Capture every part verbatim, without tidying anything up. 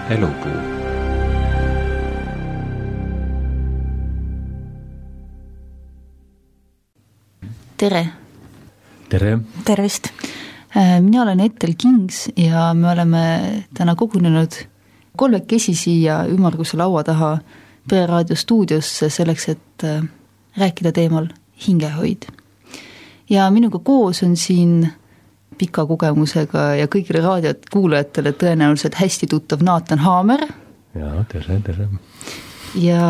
Elupuu. Tere! Tere! Tervist! Mina olen Ethel Kings ja me oleme täna kogunenud kolmekesi siia ümmarguse laua taha Pereraadio stuudiosse selleks, et rääkida teemal hingehoid. Ja minuga koos on siin pika kogemusega ja kõigile raadiot kuulajatele tõenäoliselt hästi tuttav Naatan Haamer. Ja, tere, tere. Ja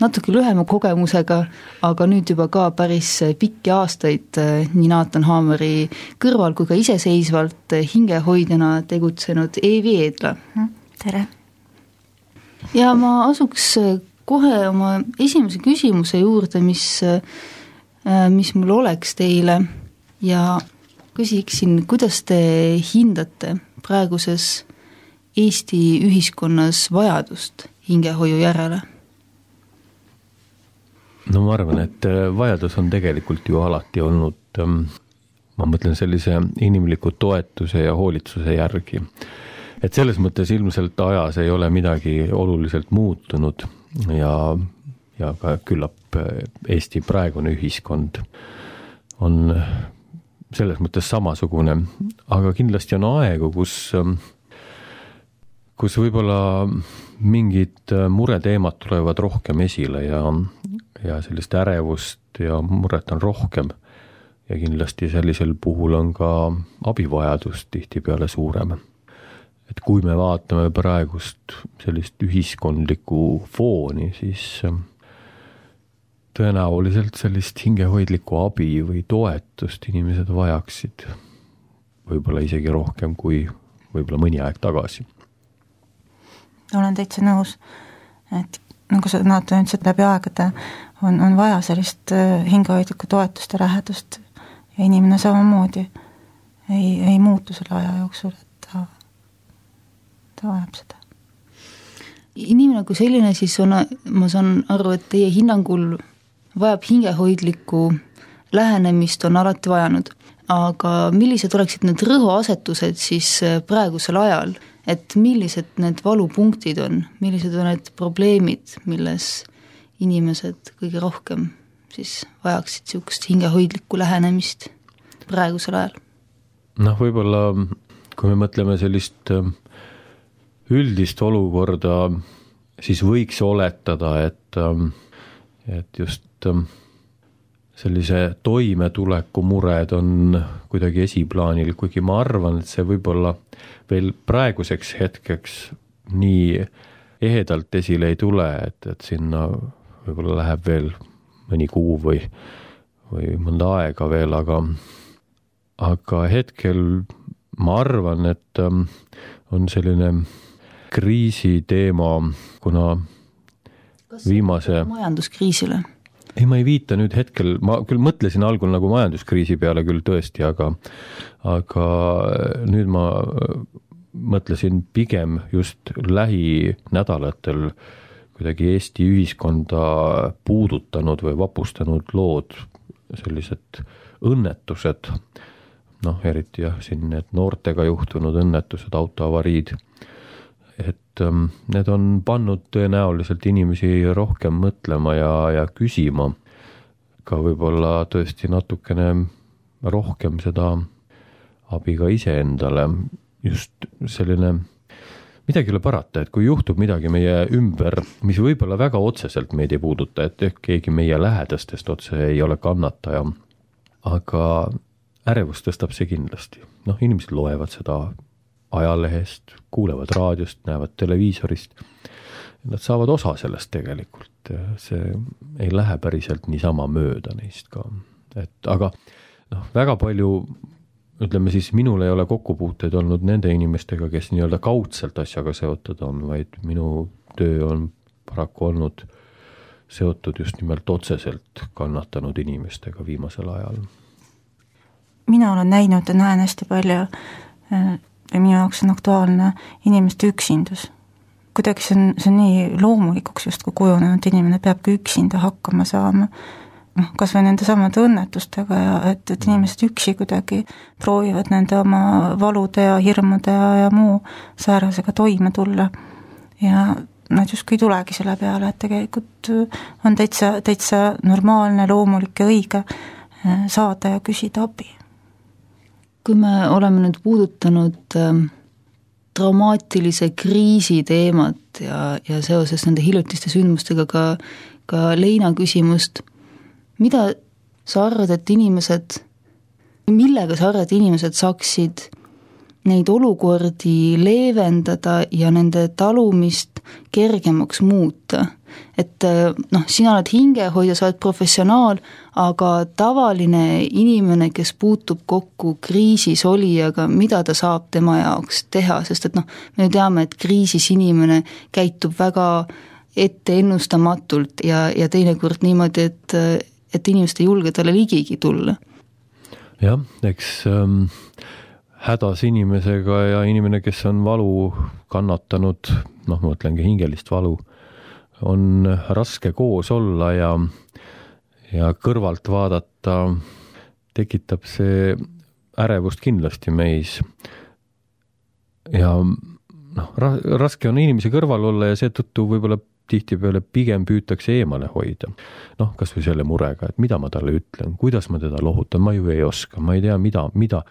natuke lühema kogemusega, aga nüüd juba ka päris pikki aastaid nii Naatan Haameri kõrval kui ka iseseisvalt hingehoidjana tegutsenud Eevi Eedla. Tere! Ja ma asuks kohe oma esimese küsimuse juurde, mis, mis mul oleks teile ja küsiksin, kuidas te hindate praeguses Eesti ühiskonnas vajadust hingehoiu järele? No ma arvan, et vajadus on tegelikult ju alati olnud, ma mõtlen sellise inimliku toetuse ja hoolitsuse järgi. Et selles mõttes ilmselt ajas ei ole midagi oluliselt muutunud ja, ja ka küllap Eesti praegune ühiskond on selles mõttes samasugune, aga kindlasti on aegu, kus kus võib-olla mingid mureteemad tulevad rohkem esile ja, ja sellist ärevust ja muret on rohkem ja kindlasti sellisel puhul on ka abivajadus tihtipeale suurem. Et kui me vaatame praegust sellist ühiskondlikku fooni, siis tõenäoliselt sellist hingehoidlikku abi või toetust inimesed vajaksid võib-olla isegi rohkem kui võib-olla mõni aeg tagasi. Olen täitsa nõus, et nagu sa Naatan ütlesid läbi aegade, on, on vaja sellist hingehoidlikku toetust ja lähedust ja inimene samamoodi ei, ei muutu selle aja jooksul, et ta, ta vajab seda. Inimene kui selline siis on, ma saan aru, et teie hinnangul vajab hingehoidlikku lähenemist on alati vajanud, aga millised oleksid need rõhuasetused siis praegusel ajal? Et millised need valupunktid on, millised on need probleemid, milles inimesed kõige rohkem siis vajaksid siukest hingehoidlikku lähenemist praegusel ajal? Noh, võib-olla kui me mõtleme sellist üldist olukorda, siis võiks oletada, et, et just sellise toimetuleku mured on kuidagi esiplaanil, kuigi ma arvan, et see võib-olla veel praeguseks hetkeks nii ehedalt esile ei tule, et, et sinna võib-olla läheb veel mõni kuu või, või mõnda aega veel, aga, aga hetkel ma arvan, et on selline kriisi teema, kuna Kas viimase... majanduskriisile? Ei, ma ei viita nüüd hetkel, ma küll mõtlesin algul nagu majanduskriisi peale küll tõesti, aga, aga nüüd ma mõtlesin pigem just lähinädalatel kuidagi Eesti ühiskonda puudutanud või vapustanud lood, sellised õnnetused, noh, eriti jah, siin need noortega juhtunud õnnetused, autoavariid, et need on pannud tõenäoliselt inimesi rohkem mõtlema ja, ja küsima ka võib-olla tõesti natukene rohkem seda abi ka iseendale. Just selline, midagi ei ole parata, et kui juhtub midagi meie ümber, mis võib-olla väga otseselt meid ei puuduta, et ehk keegi meie lähedastest otse ei ole kannataja, aga ärevust tõstab see kindlasti. Noh, inimesed loevad seda ajalehest, kuulevad raadiost, näevad televiisorist. Nad saavad osa sellest tegelikult. See ei lähe päriselt niisama mööda neist ka. Et, aga noh, väga palju, ütleme siis, minul ei ole kokkupuuteid olnud nende inimestega, kes nii-öelda kaudselt asjaga seotud on, vaid minu töö on paraku olnud seotud just nimelt otseselt kannatanud inimestega viimasel ajal. Mina olen näinud ja näen hästi palju ja minu jaoks on aktuaalne inimeste üksindus. Kuidagi see on, see on nii loomulikuks just kui kujunenud inimene peabki üksinda hakkama saama. noh, kas või nende samade õnnetustega ja et, et inimesed üksi kuidagi proovivad nende oma valude ja hirmude ja, ja muu säärasega toime tulla ja nad justkui ei tulegi selle peale, et tegelikult on täitsa, täitsa normaalne, loomulik ja õige saada ja küsida abi. Kui me oleme nüüd puudutanud äh, traumaatilise kriisi teemat ja, ja seoses nende hiljutiste sündmustega ka, ka Leina küsimust, mida sa arvad, et inimesed, millega sa arvad, et inimesed saaksid neid olukordi leevendada ja nende talumist kergemaks muuta? Et noh, sina oled hingehoidja, sa oled professionaal, aga tavaline inimene, kes puutub kokku kriisis olijaga, mida ta saab tema jaoks teha, sest et noh, me teame, et kriisis inimene käitub väga ette ennustamatult ja, ja teinekord niimoodi, et, et inimesed ei julge talle ligigi tulla. Jah, eks ähm, hädas inimesega ja inimene, kes on valu kannatanud, noh, ma mõtlengi hingelist valu, on raske koos olla ja, ja kõrvalt vaadata tekitab see ärevust kindlasti meis. Ja noh, raske on inimese kõrval olla ja seetõttu võib-olla tihtipeale pigem püütakse eemale hoida. Noh, kas või selle murega, et mida ma talle ütlen, kuidas ma teda lohutan, ma ju ei oska, ma ei tea, mida, mida,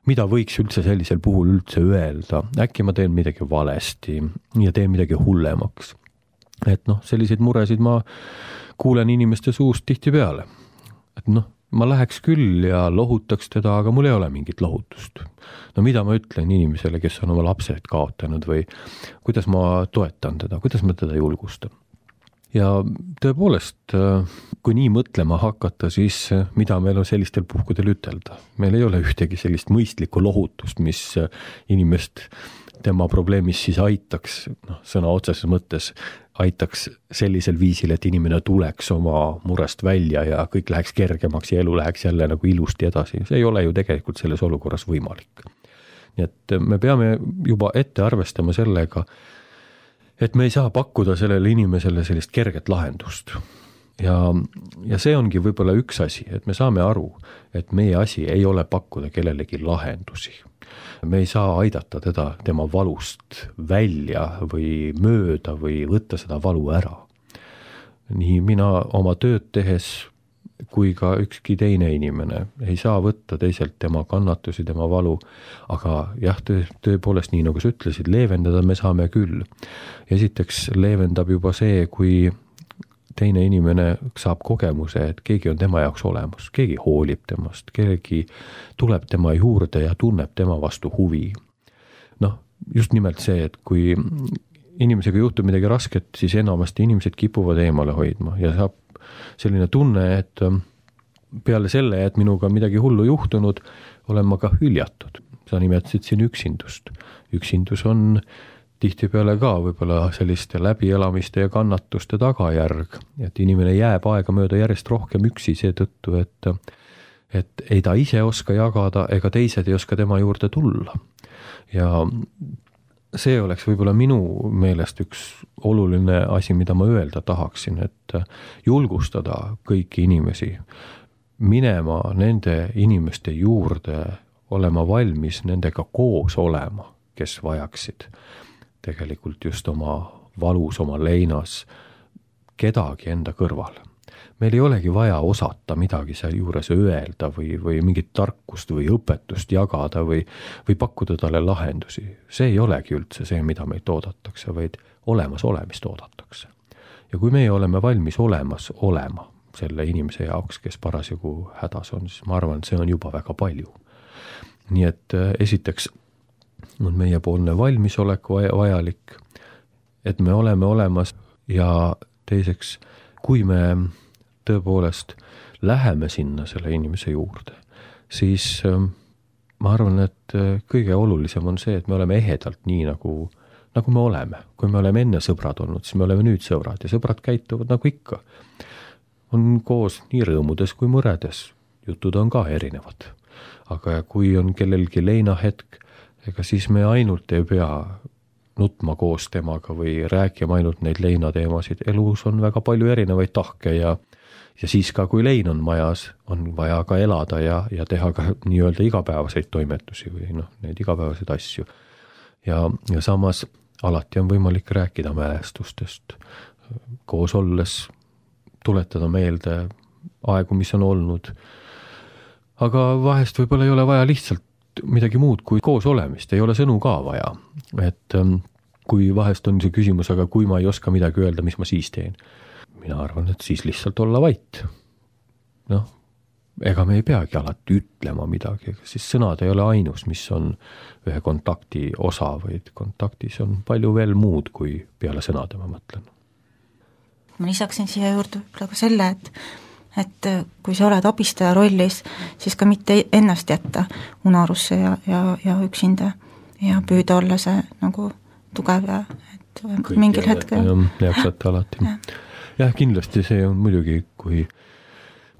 mida võiks üldse sellisel puhul üldse öelda. Äkki ma teen midagi valesti ja teen midagi hullemaks. Et noh, selliseid muresid ma kuulen inimeste suust tihti peale. Et noh, ma läheks küll ja lohutaks teda, aga mul ei ole mingit lohutust. No mida ma ütlen inimesele, kes on oma lapsed kaotanud või kuidas ma toetan teda, kuidas ma teda julgustan. Ja tõepoolest, kui nii mõtlema hakata, siis mida meil on sellistel puhkudel ütelda? Meil ei ole ühtegi sellist mõistlikku lohutust, mis inimest tema probleemis siis aitaks, noh, sõna otseses mõttes aitaks sellisel viisil, et inimene tuleks oma murest välja ja kõik läheks kergemaks ja elu läheks jälle nagu ilusti edasi. See ei ole ju tegelikult selles olukorras võimalik. Nii et me peame juba ette arvestama sellega, et me ei saa pakkuda sellele inimesele sellist kerget lahendust. Ja, ja see ongi võib-olla üks asi, et me saame aru, et meie asi ei ole pakkuda kellelegi lahendusi. Me ei saa aidata teda tema valust välja või mööda või võtta seda valu ära. Nii mina oma tööd tehes kui ka ükski teine inimene ei saa võtta teiselt tema kannatusi, tema valu, aga jah, töö, tõepoolest nii nagu sa ütlesid, leevendada me saame küll. Esiteks leevendab juba see, kui teine inimene saab kogemuse, et keegi on tema jaoks olemas, keegi hoolib temast, keegi tuleb tema juurde ja tunneb tema vastu huvi. Noh, just nimelt see, et kui inimesega juhtub midagi rasket, siis enamasti inimesed kipuvad eemale hoidma ja saab selline tunne, et peale selle, et minuga midagi hullu juhtunud, olen ma ka hüljatud. Sa nimetasid siin üksindust. Üksindus on tihtipeale ka võib-olla selliste läbielamiste ja kannatuste tagajärg, et inimene jääb aega mööda järjest rohkem üksi seetõttu, et, et ei ta ise oska jagada ega teised ei oska tema juurde tulla. Ja see oleks võib-olla minu meelest üks oluline asi, mida ma öelda tahaksin, et julgustada kõiki inimesi minema nende inimeste juurde, olema valmis nendega koos olema, kes vajaksid tegelikult just oma valus, oma leinas kedagi enda kõrval. Meil ei olegi vaja osata midagi seal juures öelda või, või mingit tarkust või õpetust jagada või, või pakkuda talle lahendusi. See ei olegi üldse see, mida meid oodatakse, vaid olemas olemist oodatakse. Ja kui meie oleme valmis olemas olema selle inimese jaoks, kes parasjagu hädas on, siis ma arvan, et see on juba väga palju. Nii et esiteks on meie poolne valmisolek vajalik, et me oleme olemas ja teiseks, kui me tõepoolest läheme sinna selle inimese juurde, siis ma arvan, et kõige olulisem on see, et me oleme ehedalt nii, nagu, nagu me oleme. Kui me oleme enne sõbrad olnud, siis me oleme nüüd sõbrad ja sõbrad käituvad nagu ikka. On koos nii rõõmudes kui mõredes, jutud on ka erinevad. Aga kui on kellelgi leinahetk, ega siis me ainult ei pea nutma koos temaga või rääkima ainult neid leinateemasid. Elus on väga palju erinevaid tahke ja, ja siis ka, kui lein on majas, on vaja ka elada ja, ja teha ka nii-öelda igapäevaseid toimetusi või noh, neid igapäevaseid asju. Ja, ja samas alati on võimalik rääkida mälestustest, koos olles tuletada meelde aegu, mis on olnud. Aga vahest võib-olla ei ole vaja lihtsalt midagi muud kui koos olemist, ei ole sõnu ka vaja. Et kui vahest on see küsimus, aga kui ma ei oska midagi öelda, mis ma siis teen? Mina arvan, et siis lihtsalt olla vait. Noh, ega me ei peagi alati ütlema midagi, siis sõnad ei ole ainus, mis on ühe kontakti osa, vaid kontaktis on palju veel muud kui peale sõnade, ma mõtlen. Ma lisaksin siia juurde ka selle, et et kui sa oled abistaja rollis, siis ka mitte ennast jätta unarusse ja, ja, ja üksinda ja püüda olla see nagu tugev ja et kõik mingil hetkel. Jaksate alati. Ja. Jah, kindlasti see on muidugi, kui,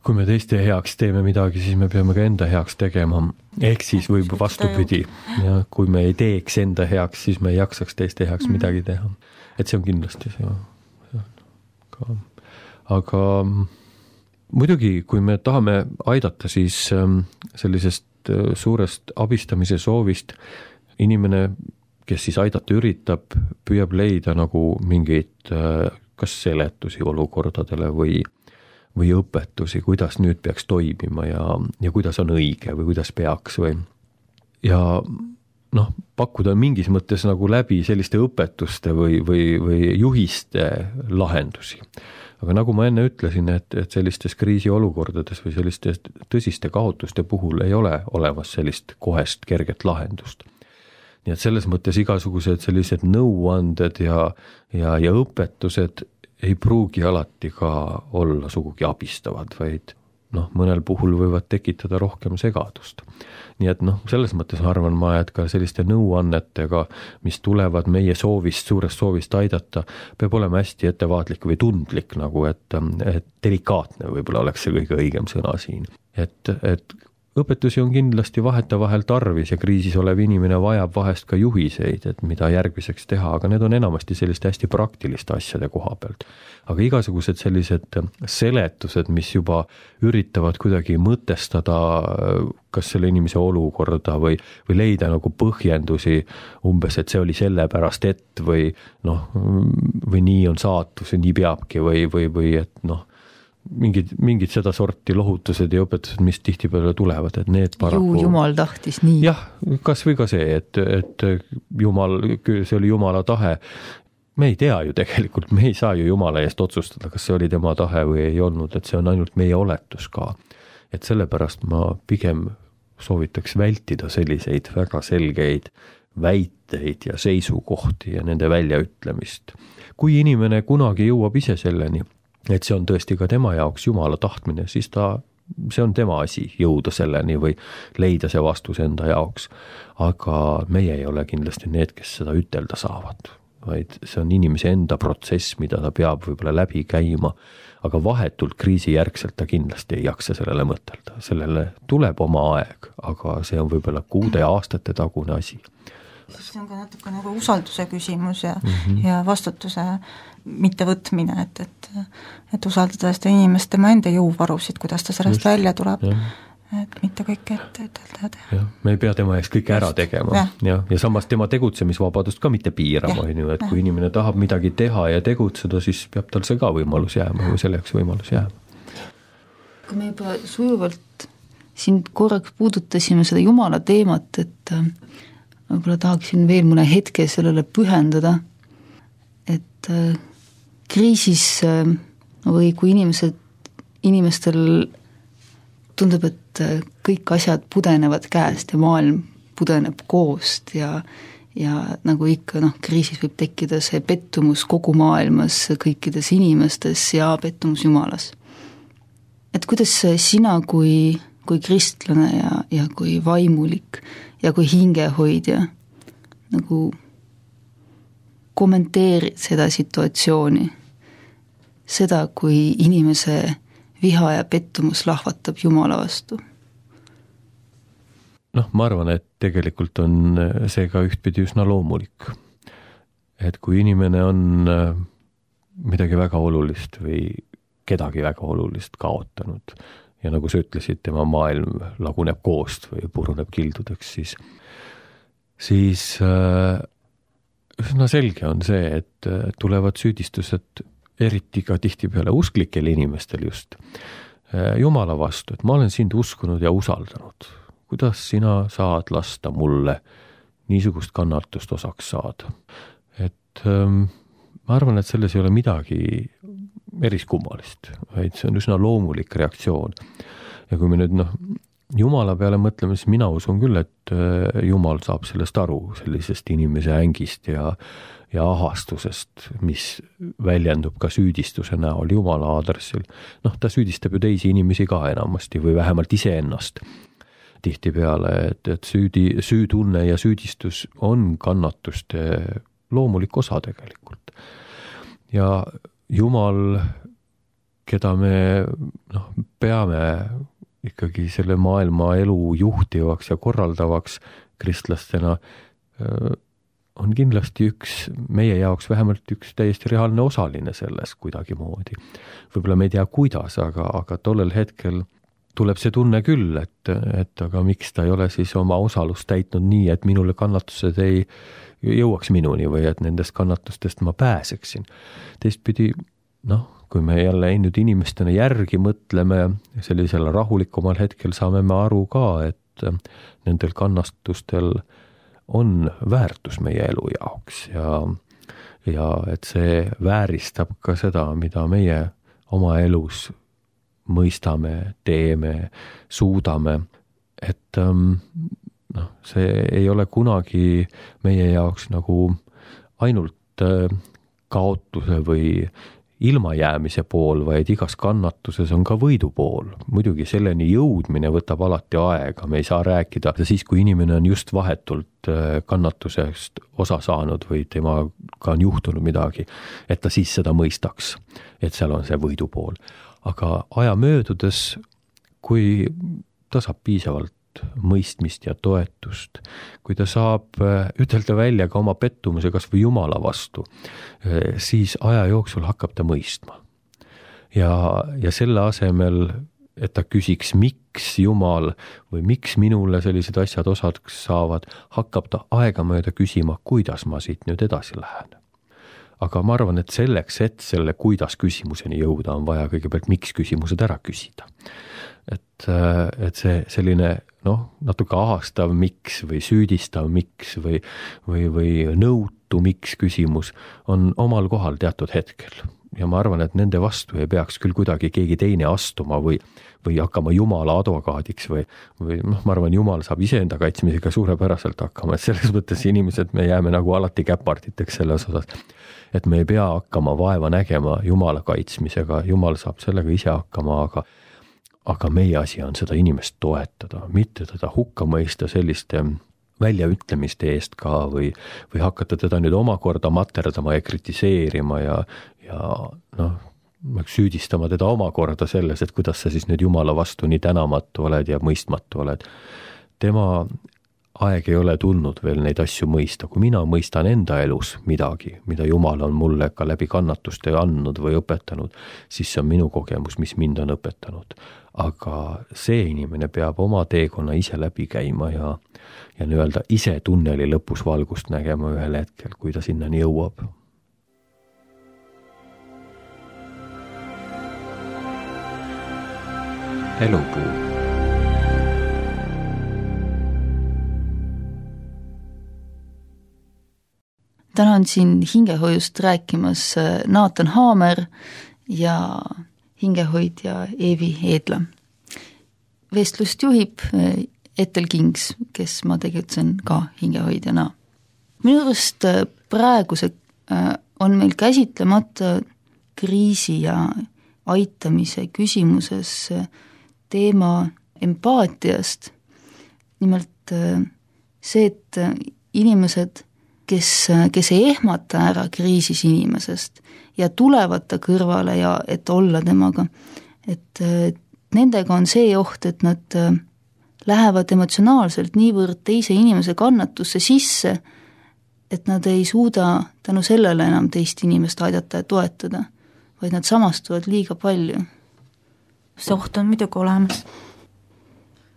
kui me teiste heaks teeme midagi, siis me peame ka enda heaks tegema. Ehk siis võib vastupidi. Ja kui me ei teeks enda heaks, siis me ei jaksaks teiste heaks mm. midagi teha. Et see on kindlasti see. Ka. Aga muidugi, kui me tahame aidata, siis sellisest suurest abistamise soovist inimene, kes siis aidata üritab, püüab leida nagu mingeid kas seletusi olukordadele või, või õpetusi, kuidas nüüd peaks toimima ja, ja kuidas on õige või kuidas peaks või. Ja noh, pakkuda mingis mõttes nagu läbi selliste õpetuste või, või, või juhiste lahendusi. Aga nagu ma enne ütlesin, et, et sellistes kriisiolukordades või selliste tõsiste kaotuste puhul ei ole olemas sellist kohest kerget lahendust. Nii et selles mõttes igasugused sellised nõuanded ja, ja, ja õpetused ei pruugi alati ka olla sugugi abistavad, vaid noh, mõnel puhul võivad tekitada rohkem segadust. Nii et noh, selles mõttes arvan ma, et ka selliste nõuannetega, mis tulevad meie soovist, suurest soovist aidata, peab olema hästi ettevaatlik või tundlik, nagu et, et delikaatne võib-olla oleks see kõige õigem sõna siin. Et, et õpetusi on kindlasti vaheta vahel tarvis ja kriisis olev inimene vajab vahest ka juhiseid, et mida järgmiseks teha, aga need on enamasti selliste hästi praktiliste asjade koha pealt. Aga igasugused sellised seletused, mis juba üritavad kuidagi mõtestada kas selle inimese olukorda või, või leida nagu põhjendusi umbes, et see oli selle pärast, et või noh, või nii on saatus ja nii peabki või, või, või et noh, mingid, mingid seda sorti lohutused ja õpetused, mis tihtipeale tulevad, et need paraku... Ju Jumal tahtis nii. Jah, kas või ka see, et, et Jumal, see oli Jumala tahe. Me ei tea ju tegelikult, me ei saa ju Jumala eest otsustada, kas see oli tema tahe või ei olnud, et see on ainult meie oletus ka. Et sellepärast ma pigem soovitaks vältida selliseid väga selgeid väiteid ja seisukohti ja nende väljaütlemist. Kui inimene kunagi jõuab ise selleni, et see on tõesti ka tema jaoks Jumala tahtmine, siis ta, see on tema asi jõuda selleni või leida see vastus enda jaoks. Aga meie ei ole kindlasti need, kes seda ütelda saavad, vaid see on inimese enda protsess, mida ta peab võib-olla läbi käima, aga vahetult kriisijärgselt ta kindlasti ei jaksa sellele mõtelda. Sellele tuleb oma aeg, aga see on võib-olla kuude ja aastate tagune asi. See on ka natuke nagu usalduse küsimus ja, mm -hmm. ja vastutuse mittevõtmine, et, et, et usaldada seda inimest tema enda jõuvarusid, kuidas ta sellest Just, välja tuleb, jah. Et mitte kõike ette ütelda teha. Me ei pea tema eest kõike ära tegema ja. Ja, ja samas tema tegutsemisvabadust ka mitte piirama, ja. Et kui ja. Inimene tahab midagi teha ja tegutseda, siis peab tal see ka võimalus jääma või selleks võimalus jääma. Kui me juba sujuvalt siin korraks puudutasime seda Jumala teemat, et võib-olla tahaksin veel mõne hetke sellele pühendada, et kriisis või kui inimesed, inimestel tundub, et kõik asjad pudenevad käest ja maailm pudeneb koost ja, ja nagu ikka noh, kriisis võib tekkida see pettumus kogu maailmas, kõikides inimestes ja pettumus Jumalas. Et kuidas sina kui, kui kristlane ja, ja kui vaimulik ja kui hingehoidja nagu kommenteerid seda situatsiooni, seda, kui inimese viha ja pettumus lahvatab Jumala vastu? Noh, ma arvan, et tegelikult on see ka ühtpidi üsna loomulik. Et kui inimene on midagi väga olulist või kedagi väga olulist kaotanud ja nagu sa ütlesid, tema maailm laguneb koost või puruneb kildudeks, siis, siis äh, üsna selge on see, et tulevad süüdistused eriti ka tihtipeale usklikel inimestel just äh, Jumala vastu, et ma olen sind uskunud ja usaldanud. Kuidas sina saad lasta mulle niisugust kannatust osaks saada? Et ähm, ma arvan, et selles ei ole midagi eriskummalist, vaid see on üsna loomulik reaktsioon. Ja kui me nüüd noh, Jumala peale mõtleme, siis mina usun küll, et Jumal saab sellest aru, sellisest inimese ängist ja, ja ahastusest, mis väljendub ka süüdistuse näol Jumala aadressil. Noh, ta süüdistab ju teisi inimesi ka enamasti või vähemalt iseennast tihtipeale, et, et süüdi, süütunne ja süüdistus on kannatuste loomulik osa tegelikult. Ja Jumal, keda me noh, peame ikkagi selle maailma elu juhtivaks ja korraldavaks kristlastena, on kindlasti üks, meie jaoks vähemalt üks täiesti reaalne osaline selles kuidagi moodi. Võib-olla me ei tea kuidas, aga, aga tollel hetkel tuleb see tunne küll, et, et aga miks ta ei ole siis oma osalust täitnud nii, et minule kannatused ei jõuaks minuni või et nendest kannatustest ma pääseksin. Teistpidi, noh, kui me jälle nüüd inimestena järgi mõtleme, sellisel rahulikumal hetkel saame me aru ka, et nendel kannastustel on väärtus meie elu jaoks ja, ja et see vääristab ka seda, mida meie oma elus mõistame, teeme, suudame, et noh, see ei ole kunagi meie jaoks nagu ainult kaotuse või ilmajäämise pool, vaid igas kannatuses on ka võidu pool. Muidugi selleni jõudmine võtab alati aega, me ei saa rääkida siis, kui inimene on just vahetult kannatusest osa saanud või temaga on juhtunud midagi, et ta siis seda mõistaks, et seal on see võidu pool. Aga aja möödudes, kui ta saab piisavalt mõistmist ja toetust, kui ta saab ütelda välja ka oma pettumuse kas või Jumala vastu, siis aja jooksul hakkab ta mõistma. Ja, ja selle asemel, et ta küsiks, miks Jumal või miks minule sellised asjad osaks saavad, hakkab ta aegamööda küsima, kuidas ma siit nüüd edasi lähen. Aga ma arvan, et selleks, et selle kuidas küsimuseni jõuda, on vaja kõigepealt miks küsimused ära küsida. Et, et see selline noh, natuke ahastav miks või süüdistav miks või, või, või nõutu miks küsimus on omal kohal teatud hetkel. Ja ma arvan, et nende vastu ei peaks küll kuidagi keegi teine astuma või, või hakkama Jumala advokaadiks või, või noh, ma arvan, Jumal saab iseenda kaitsmisega suurepäraselt hakkama, et selles mõttes inimesed me jääme nagu alati käparditeks selles osas, et me ei pea hakkama vaeva nägema Jumala kaitsmisega, Jumal saab sellega ise hakkama, aga aga meie asi on seda inimest toetada, mitte teda hukka mõista selliste väljaütlemiste eest ka või, või hakata teda nüüd omakorda materdama ja kritiseerima ja, ja noh, süüdistama teda omakorda selles, et kuidas sa siis nüüd Jumala vastu nii tänamatu oled ja mõistmatu oled. Tema aeg ei ole tulnud veel neid asju mõista, kui mina mõistan enda elus midagi, mida Jumal on mulle ka läbi kannatuste andnud või õpetanud, siis see on minu kogemus, mis mind on õpetanud. Aga see inimene peab oma teekonna ise läbi käima ja, ja nii-öelda ise tunneli lõpus valgust nägema ühel hetkel, kui ta sinnani jõuab. Elupuu. Täna on siin hingehoiust rääkimas Naatan Haamer ja hingehoidja Eevi Eedla. Vestlust juhib Ethel Kings, kes ma tegutsen ka hingehoidjana. Minu arust praegu see on meil käsitlemata kriisi ja aitamise küsimuses teema empaatiast. Nimelt see, et inimesed, kes, kes ei ehmata ära kriisis inimesest ja tulevad ta kõrvale ja et olla temaga, et nendega on see oht, et nad lähevad emotsionaalselt niivõrd teise inimese kannatusse sisse, et nad ei suuda tänu sellele enam teist inimest aidata ja toetada. vaid nad samastuvad liiga palju. see oht on muidugi olemas.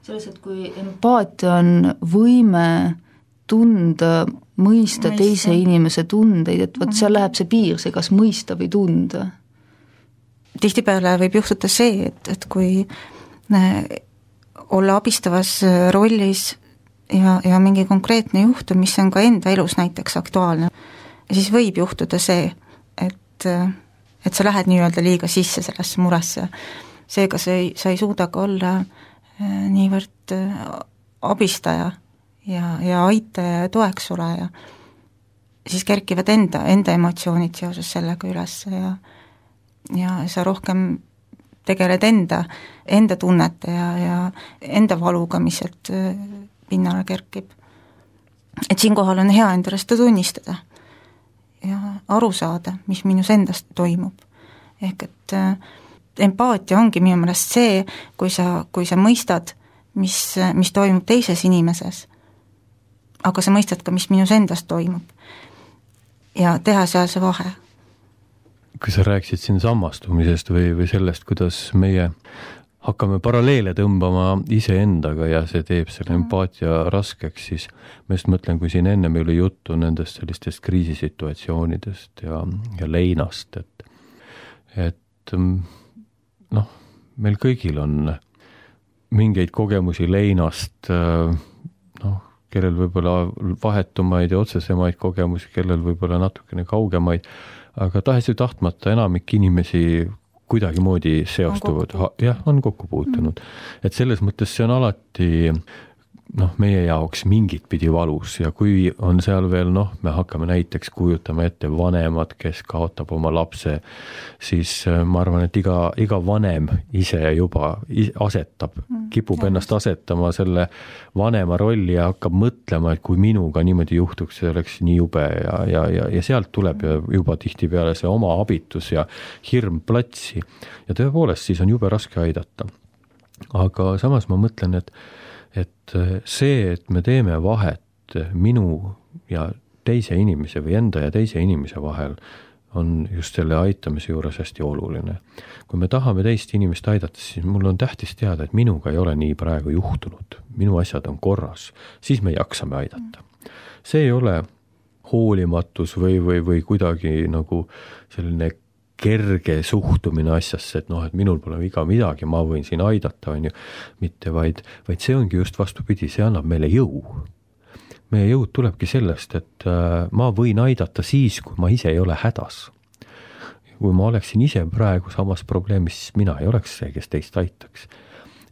Selles, et kui empaatia on võime tunda, mõista, mõista. teise inimese tundeid, et vot seal läheb see piir, see kas mõista või tunda. Tihtipeale võib juhtuda see, et, et kui olla abistavas rollis ja, ja mingi konkreetne juhtum, mis on ka enda elus näiteks aktuaalne, siis võib juhtuda see, et, et sa lähed nii-öelda liiga sisse sellesse muresse. Seega sa ei, sa ei suuda ka olla niivõrd abistaja ja, ja aitaja ja toeks oleja. Siis kerkivad enda, enda emotsioonid seoses sellega üles ja, ja sa rohkem tegeled enda, enda tunnete ja, ja enda valuga, mis sealt pinnale kerkib. Et siinkohal on hea endale seda tunnistada ja aru saada, mis minus endast toimub. Ehk et äh, empaatia ongi minu meelest see, kui sa, kui sa mõistad, mis, mis toimub teises inimeses, aga sa mõistad ka, mis minus endast toimub ja teha seal see vahe. Kui sa rääksid siin sammastumisest või, või sellest, kuidas meie hakkame paralleele tõmbama iseendaga ja see teeb selle empaatia raskeks, siis ma just mõtlen, kui siin enne meil oli juttu nendest sellistest kriisisituatsioonidest ja, ja leinast, et, et noh, meil kõigil on mingeid kogemusi leinast, noh, kellel võib-olla vahetumaid ja otsesemaid kogemusi, kellel võib-olla natukene kaugemaid, aga tahes ju tahtmata enamik inimesi kuidagi moodi seostuvad, jah, on kokku puutunud. Mm. Et selles mõttes see on alati noh, meie jaoks mingit pidi valus ja kui on seal veel, noh, me hakkame näiteks kujutama ette vanemad, kes kaotab oma lapse, siis ma arvan, et iga, iga vanem ise juba asetab, kipub ennast asetama selle vanema rolli ja hakkab mõtlema, et kui minuga niimoodi juhtuks, see oleks nii jube ja, ja, ja, ja sealt tuleb juba tihtipeale see oma abitus ja hirm platsi ja tõepoolest siis on jube raske aidata. Aga samas ma mõtlen, et et see, et me teeme vahet minu ja teise inimese või enda ja teise inimese vahel, on just selle aitamise juures hästi oluline. Kui me tahame teist inimest aidata, siis mul on tähtis teada, et minuga ei ole nii praegu juhtunud. Minu asjad on korras, siis me jaksame aidata. See ei ole hoolimatus või, või, või kuidagi nagu selline kerge suhtumine asjasse, et noh, et minul pole iga midagi, ma võin siin aidata, on ju, mitte vaid, vaid see ongi just vastupidi, see annab meile jõu. Meie jõud tulebki sellest, et ma võin aidata siis, kui ma ise ei ole hädas. Kui ma oleksin ise praegu samas probleemis, siis mina ei oleks see, kes teist aitaks.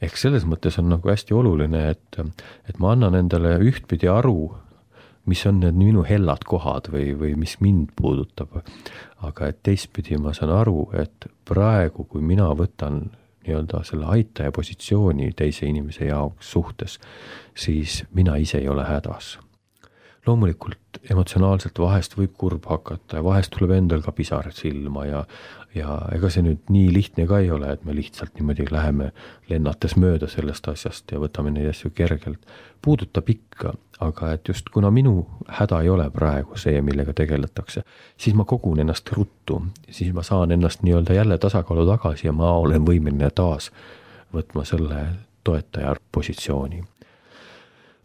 Ehk selles mõttes on nagu hästi oluline, et, et ma annan endale ühtpidi aru, mis on need minu hellad kohad või, või mis mind puudutab. Aga et teistpidi ma saan aru, et praegu, kui mina võtan nii-öelda selle aitaja positsiooni teise inimese jaoks suhtes, siis mina ise ei ole hädas. Loomulikult emotsionaalselt vahest võib kurb hakata ja vahest tuleb endal ka pisar silma ja, ja ega see nüüd nii lihtne ka ei ole, et me lihtsalt niimoodi läheme lennates mööda sellest asjast ja võtame neid asju kergelt. Puudutab ikka, aga et just kuna minu häda ei ole praegu see, millega tegeletakse, siis ma kogun ennast ruttu, siis ma saan ennast nii-öelda jälle tasakaalu tagasi ja ma olen võimeline taas võtma selle toetaja positsiooni.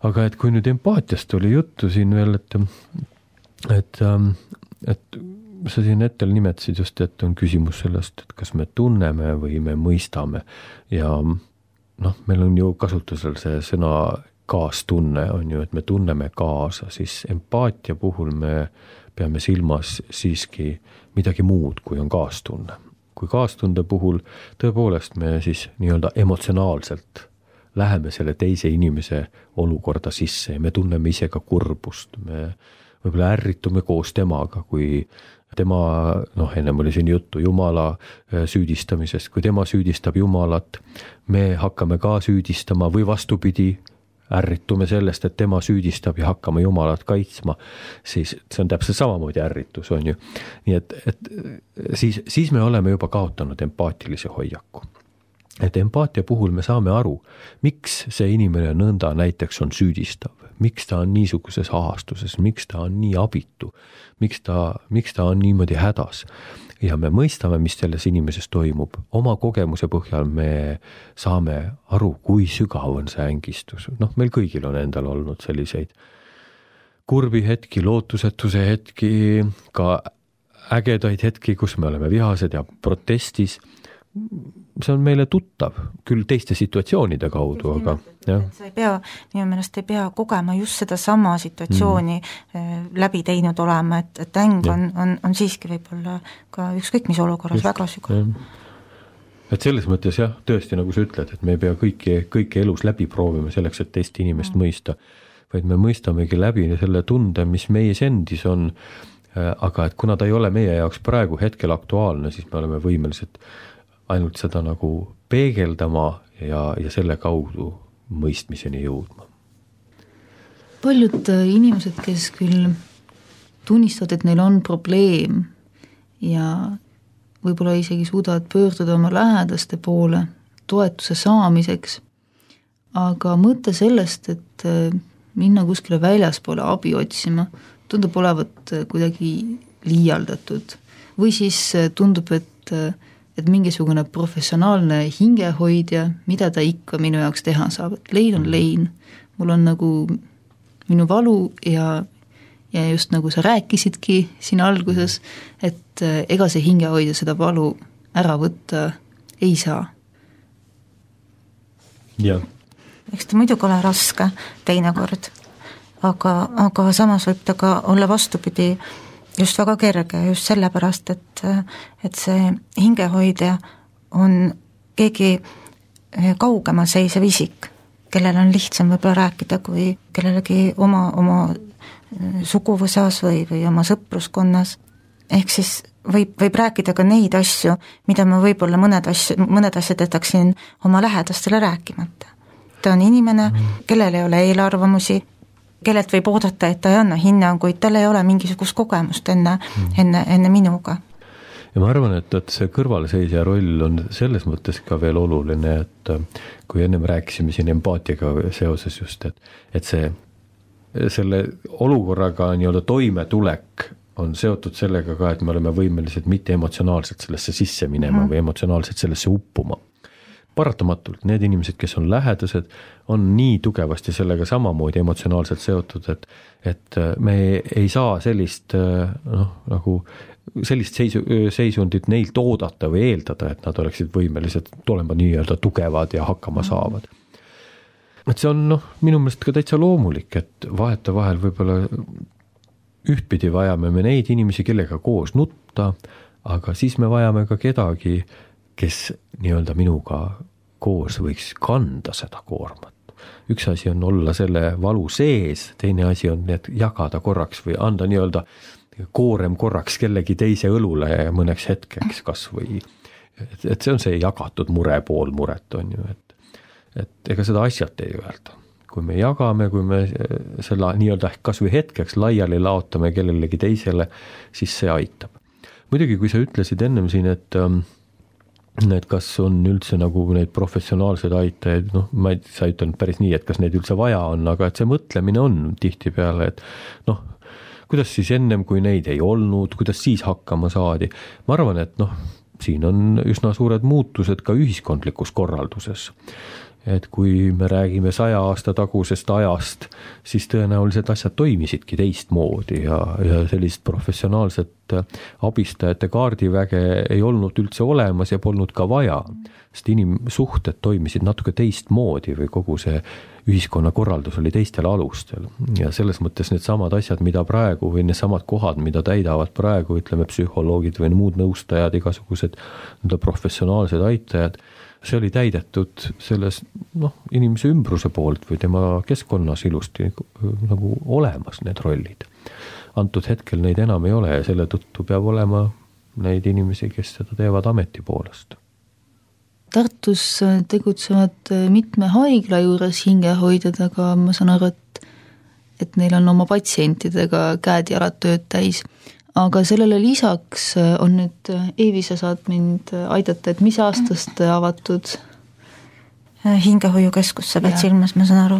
Aga et kui nüüd empaatiast oli juttu siin veel, et, et, et sa siin hetkel nimetasid just, et on küsimus sellest, et kas me tunneme või me mõistame ja noh, meil on ju kasutusel see sõna kaastunne on ju, et me tunneme kaasa, siis empaatia puhul me peame silmas siiski midagi muud, kui on kaastunne. Kui kaastunde puhul tõepoolest me siis nii-öelda emotsionaalselt läheme selle teise inimese olukorda sisse ja me tunneme ise ka kurbust, me võib-olla ärritume koos temaga, kui tema, noh, ennem oli siin juttu Jumala süüdistamisest, kui tema süüdistab Jumalat, me hakkame ka süüdistama või vastupidi, ärritume sellest, et tema süüdistab ja hakkame Jumalat kaitsma, siis see on täpselt samamoodi ärritus, on ju. Nii et, et siis, siis me oleme juba kaotanud empaatilise hoiaku. Et empaatia puhul me saame aru, miks see inimene nõnda näiteks on süüdistav, miks ta on niisuguses ahastuses, miks ta on nii abitu, miks ta, miks ta on niimoodi hädas. Ja me mõistame, mis selles inimeses toimub. Oma kogemuse põhjal me saame aru, kui sügav on see ängistus. Noh, meil kõigil on endal olnud selliseid kurbi hetki, lootusetuse hetki, ka ägedaid hetki, kus me oleme vihased ja protestis. See on meile tuttav, küll teiste situatsioonide kaudu, aga jah. Sa ei pea, minu meelest ei pea kogema just seda sama situatsiooni mm. läbi teinud olema, et, et äng on, on, on siiski võib-olla ka ükskõik mis olukorras just, väga sügav. Et selles mõttes jah, tõesti nagu sa ütled, et me ei pea kõiki, kõiki elus läbi proovima selleks, et teist inimest mm. mõista, vaid me mõistamegi läbi selle tunde, mis meis endis on, aga et kuna ta ei ole meie jaoks praegu hetkel aktuaalne, siis me oleme võimelised ainult seda nagu peegeldama ja, ja selle kaudu mõistmiseni jõudma. Paljud inimesed, kes küll tunnistavad, et neil on probleem ja võib-olla isegi suudavad pöörduda oma lähedaste poole toetuse saamiseks, aga mõte sellest, et minna kuskile väljaspoole abi otsima, tundub olevat kuidagi liialdatud või siis tundub, et et mingisugune professionaalne hingehoidja, mida ta ikka minu jaoks teha saab, et lein on lein, mul on nagu minu valu ja, ja just nagu sa rääkisidki siin alguses, et ega see hingehoidja seda valu ära võtta ei saa. Jah. Eks ta muidugi ole raske teinekord, aga, aga samas võib ta ka olla vastupidi just väga kerge, just sellepärast, et, et see hingehoidja on keegi kaugemal seisev isik, kellel on lihtsam võib-olla rääkida kui kellelegi oma, oma suguvõsas või, või oma sõpruskonnas. Ehk siis võib, võib rääkida ka neid asju, mida ma võib-olla mõned, asju, mõned asjad jätaksin oma lähedastele rääkimata. Ta on inimene, kellel ei ole eelarvamusi, kellelt võib oodata, et ta ei anna hinnanguid, tal ei ole mingisugust kogemust enne, enne, enne minuga. Ja ma arvan, et, et see kõrvalseisja roll on selles mõttes ka veel oluline, et kui ennem rääkisime siin empaatiaga seoses just, et, et see, selle olukorraga nii-öelda toimetulek on seotud sellega ka, et me oleme võimelised mitte emotsionaalselt sellesse sisse minema mm. või emotsionaalselt sellesse uppuma. Paratamatult need inimesed, kes on lähedased, on nii tugevasti sellega samamoodi emotsionaalselt seotud, et, et me ei saa sellist, noh, nagu sellist seisu, seisundit neilt oodata või eeldada, et nad oleksid võimelised olema nii-öelda tugevad ja hakkama saavad. Et see on, noh, minu meelest ka täitsa loomulik, et vaheta vahel võib-olla ühtpidi vajame me neid inimesi, kellega koos nutta, aga siis me vajame ka kedagi, kes nii-öelda minuga koos võiks kanda seda koormat. Üks asi on olla selle valu sees, teine asi on need jagada korraks või anda nii-öelda koorem korraks kellegi teise õlule mõneks hetkeks kas või. Et, et see on see jagatud mure pool muret on ju, et, et ega seda asjalt ei öelda. Kui me jagame, kui me selle nii-öelda kas või hetkeks laiali laotame kellelegi teisele, siis see aitab. Muidugi, kui sa ütlesid ennem siin, et et kas on üldse nagu neid professionaalseid aitajaid, noh, ma ei, sa ütlen päris nii, et kas neid üldse vaja on, aga et see mõtlemine on tihti peale, et noh, kuidas siis ennem, kui neid ei olnud, kuidas siis hakkama saadi. Ma arvan, et noh, siin on üsna suured muutused ka ühiskondlikus korralduses. Et kui me räägime saja aasta tagusest ajast, siis tõenäoliselt asjad toimisidki teistmoodi ja, ja sellist professionaalset abistajate kaardiväge ei olnud üldse olemas ja polnud ka vaja. Sest inimsuhted toimisid natuke teistmoodi või kogu see ühiskonna korraldus oli teistel alustel. Ja selles mõttes need samad asjad, mida praegu või need samad kohad, mida täidavad praegu, ütleme psühholoogid või muud nõustajad, igasugused professionaalsed aitajad, see oli täidetud selles noh, inimese ümbruse poolt või tema keskkonnas ilusti nagu olemas need rollid. Antud hetkel neid enam ei ole ja selle tõttu peab olema neid inimesi, kes seda teevad ameti poolest. Tartus tegutsevad mitme haigla juures hingehoidjad, aga ma saan aru, et, et neil on oma patsientidega käed ja jalad tööd täis. Aga sellele lisaks on nüüd, Eevi, sa saad mind aidata, et mis aastast avatud? Hingehoiukeskus sa pead silmas, ma saan aru.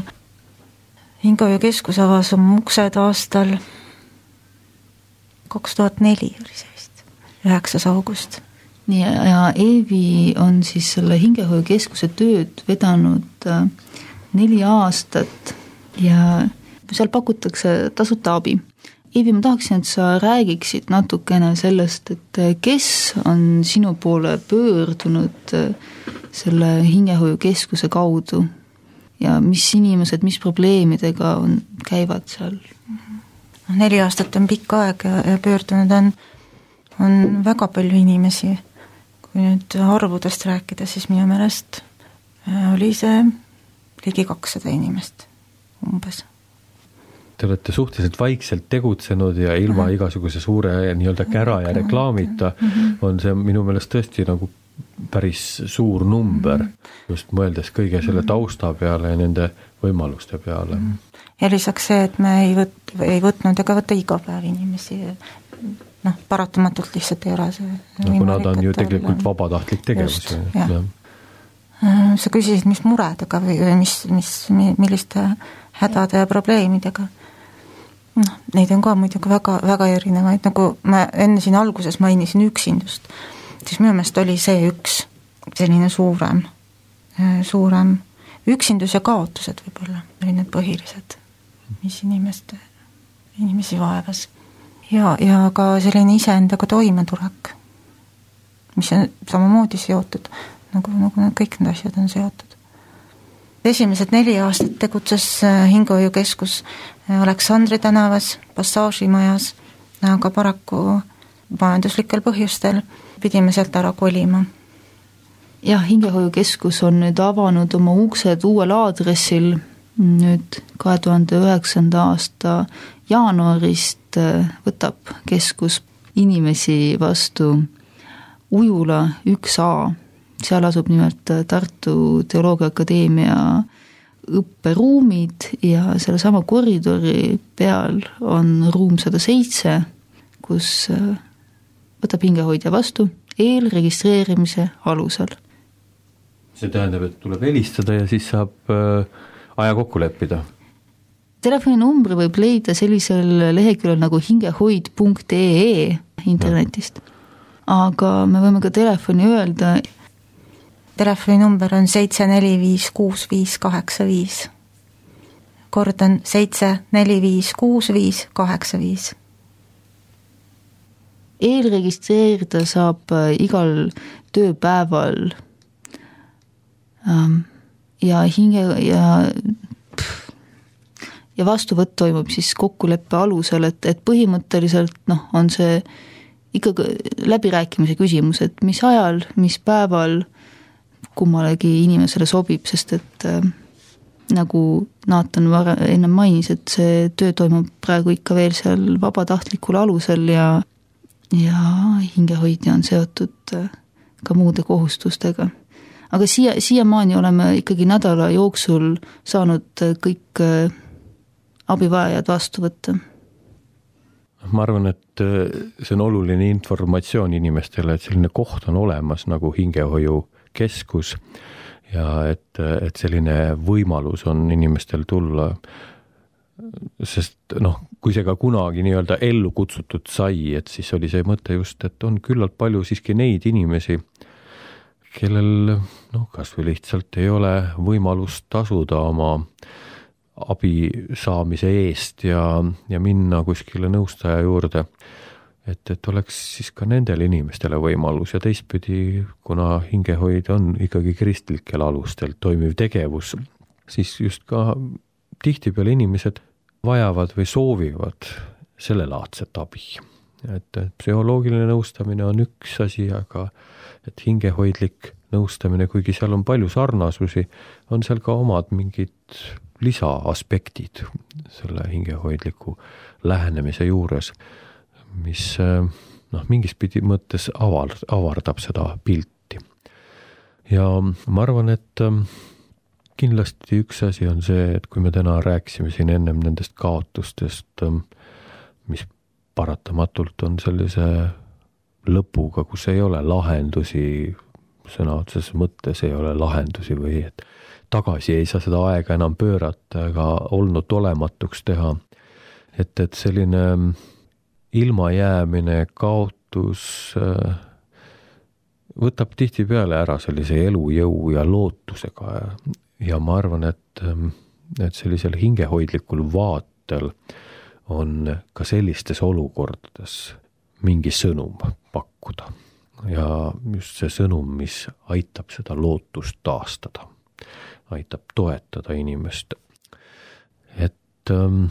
hingehoiukeskus avas oma uksed aastal kaks tuhat neli oli see vist, üheksas august. nii, ja Eevi on siis selle hingehoiukeskuse tööd vedanud neli aastat ja seal pakutakse tasuta abi. Eevi, ma tahaksin, et sa räägiksid natukene sellest, et kes on sinu poole pöördunud selle hingehoiukeskuse kaudu ja mis inimesed, mis probleemidega on, käivad seal? Neli aastat on pikk aeg ja, ja pöördunud on, on väga palju inimesi. Kui nüüd arvudest rääkida, siis minu meelest oli see ligi kakssada inimest umbes. Te olete suhteliselt vaikselt tegutsenud ja ilma Aha. igasuguse suure nii-öelda kära ja reklaamita on see minu meelest tõesti nagu päris suur number, just mõeldes kõige selle tausta peale ja nende võimaluste peale. Ja lisaks see, et me ei, võt, ei võtnud ega võtta iga päev inimesi, noh, paratamatult lihtsalt ei ole see no, kuna ta on ju tegelikult olla... vabatahtlik tegevus. Just, jah. Sa küsisid, mis muredega või mis, mis, milliste hädade ja probleemidega. noh, neid on ka muidugi väga, väga erinevaid, nagu ma enne siin alguses mainisin üksindust, siis minu meelest oli see üks selline suurem, suurem üksindus ja kaotused võib-olla, oli need põhilised, mis inimeste, inimesi vaevas. Ja, ja ka selline iseendaga toimetulek, mis on samamoodi seotud, nagu, nagu kõik need asjad on seotud. Esimesed neli aastat tegutses hingehoiukeskus Aleksandri tänavas, Passaažimajas, aga paraku majanduslikel põhjustel pidime sealt ära kolima. Jah, hingehoiukeskus on nüüd avanud oma uksed uuel aadressil nüüd kahe tuhande üheksanda aasta jaanuarist võtab keskus inimesi vastu Ujula üks A. Seal asub nimelt Tartu Teoloogia Akadeemia õpperuumid ja selle sama koridori peal on ruum sada seitse, kus võtab hingehoidja vastu eelregistreerimise alusel. See tähendab, et tuleb helistada ja siis saab aja kokku leppida. Telefoninumbri võib leida sellisel leheküljel nagu hingehoid punkt ee internetist. Aga me võime ka telefoni öelda. Telefoninumber on seitse neli viis kuus viis kaheksa viis. Kordan seitse neli viis kuus viis kaheksa viis. Eelregistreerida saab igal tööpäeval ja hinge ja ja vastuvõtt toimub siis kokkuleppe alusel, et, et põhimõtteliselt noh, on see ikkagi läbirääkimise küsimus, et mis ajal, mis päeval kummalegi inimesele sobib, sest et äh, nagu Naatan vara, enne mainis, et see töö toimub praegu ikka veel seal vabatahtlikul alusel ja, ja hingehoidja on seotud äh, ka muude kohustustega. Aga siia, siiamaani oleme ikkagi nädala jooksul saanud kõik äh, abivajajad vastu võtta. Ma arvan, et see on oluline informatsioon inimestele, et selline koht on olemas nagu hingehoiukeskus ja et, et selline võimalus on inimestel tulla, sest noh, kui see ka kunagi nii-öelda ellu kutsutud sai, et siis oli see mõte just, et on küllalt palju siiski neid inimesi, kellel noh, kas või lihtsalt ei ole võimalust tasuda oma abi saamise eest ja, ja minna kuskile nõustaja juurde, et, et oleks siis ka nendel inimestele võimalus ja teistpidi, kuna hingehoid on ikkagi kristlikel alustel toimiv tegevus, siis just ka tihtipeale inimesed vajavad või soovivad sellelaadset abi. Et psühholoogiline nõustamine on üks asi, aga et hingehoidlik nõustamine, kuigi seal on palju sarnasusi, on seal ka omad mingid lisaaspektid selle hingehoidliku lähenemise juures, mis noh, mingis pidi mõttes avar, avardab seda pilti. Ja ma arvan, et kindlasti üks asi on see, et kui me täna rääksime siin ennem nendest kaotustest, mis paratamatult on sellise lõpuga, kus ei ole lahendusi, sõna otseses mõttes ei ole lahendusi või et tagasi ei saa seda aega enam pöörata ega olnud olematuks teha. Et, et selline ilmajäämine, kaotus võtab tihtipeale ära sellise elujõu ja lootusega ja ma arvan, et, et sellisel hingehoidlikul vaatel on ka sellistes olukordades mingi sõnum pakkuda ja just see sõnum, mis aitab seda lootust taastada, aitab toetada inimest. Et ähm,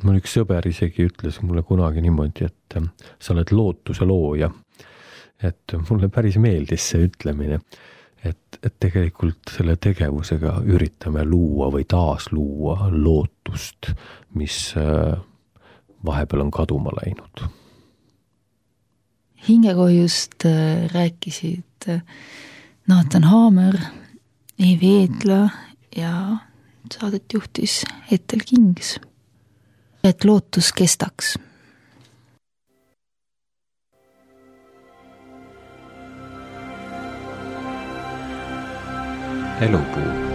mul üks sõber isegi ütles mulle kunagi niimoodi, et ähm, sa oled lootuse looja, et mulle päris meeldis see ütlemine, et, et tegelikult selle tegevusega üritame luua või taas luua lootust, mis äh, vahepeal on kaduma läinud. Hingekohjust rääkisid Nathan Haamer, Eevi Eedla ja saadet juhtis Ethel Kings. Et lootus kestaks. Elupuu.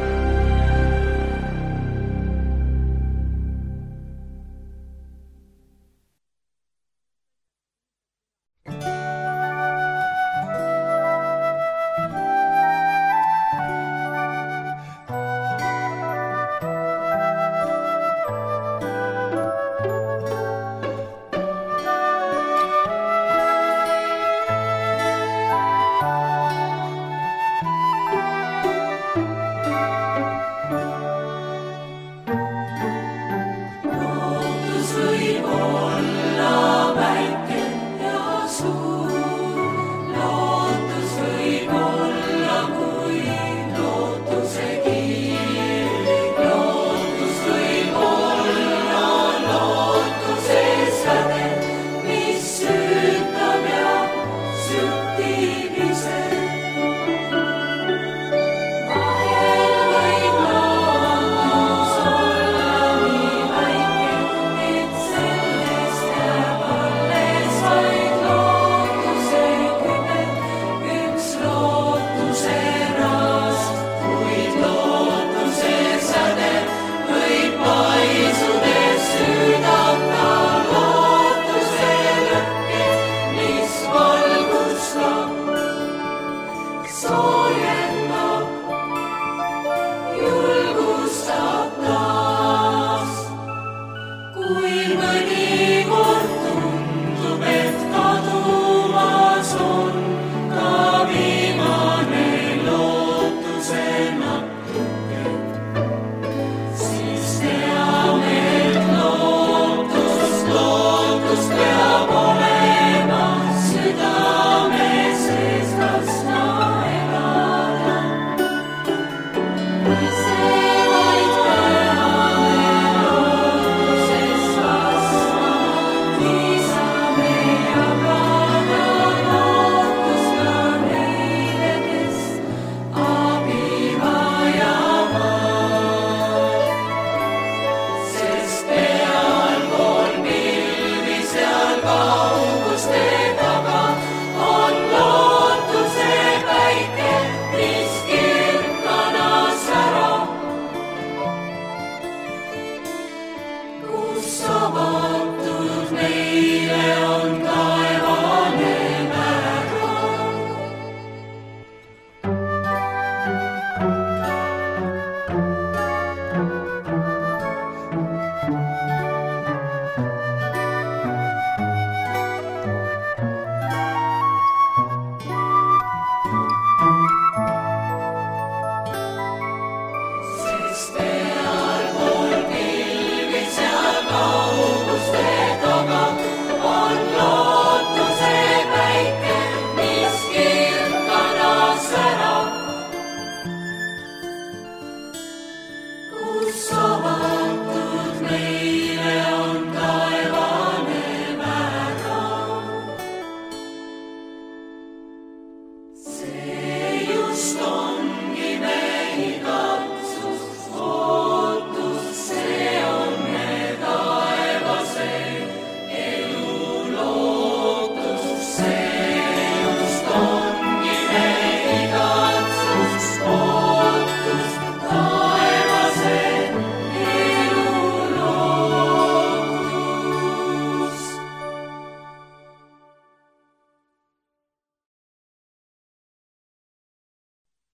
Yes.